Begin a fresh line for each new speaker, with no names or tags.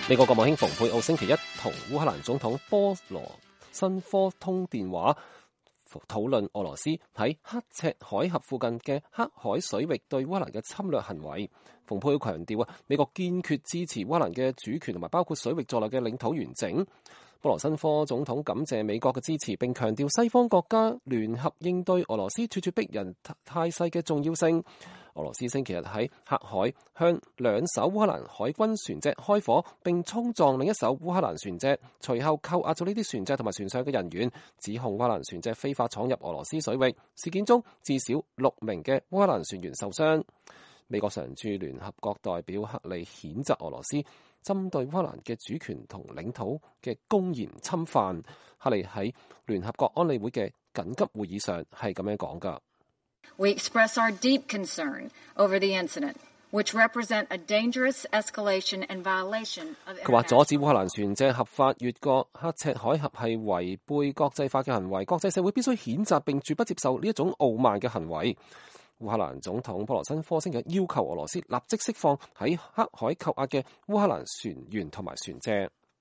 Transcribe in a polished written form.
美國國務卿蓬佩奧星期一同烏克蘭總統波羅申科通電話，討論俄羅斯喺刻赤海峽附近嘅黑海水域對烏克蘭嘅侵略行為。蓬佩奧強調美國堅決支持烏克蘭嘅主權同埋包括水域在內嘅領土完整。波羅申科總統感謝美國嘅支持，並強調西方國家聯合應對俄羅斯咄咄逼人態勢嘅重要性。俄羅斯星期日喺黑海向2艘烏克蘭海軍船隻開火，並衝撞另一艘烏克蘭船隻，隨後扣押咗呢啲船隻同埋船上嘅人員，指控烏克蘭船隻非法闖入俄羅斯水域。事件中至少6名嘅烏克蘭船員受傷。美國常駐聯合國代表克里譴責俄羅斯針對烏克蘭嘅主權同領土嘅公然侵犯。克里喺聯合國安理會嘅緊急會議上係咁樣講㗎。
We express our deep concern over the incident, which represent a dangerous escalation and violation of.
佢話阻止烏克蘭船隻合法越過刻赤海峽係違背國際法嘅行為，國際社會必須譴責並絕不接受呢一種傲慢嘅行為。烏克蘭總統波羅申科星期要求俄羅斯立即釋放喺黑海扣押嘅烏克蘭船員同埋船隻。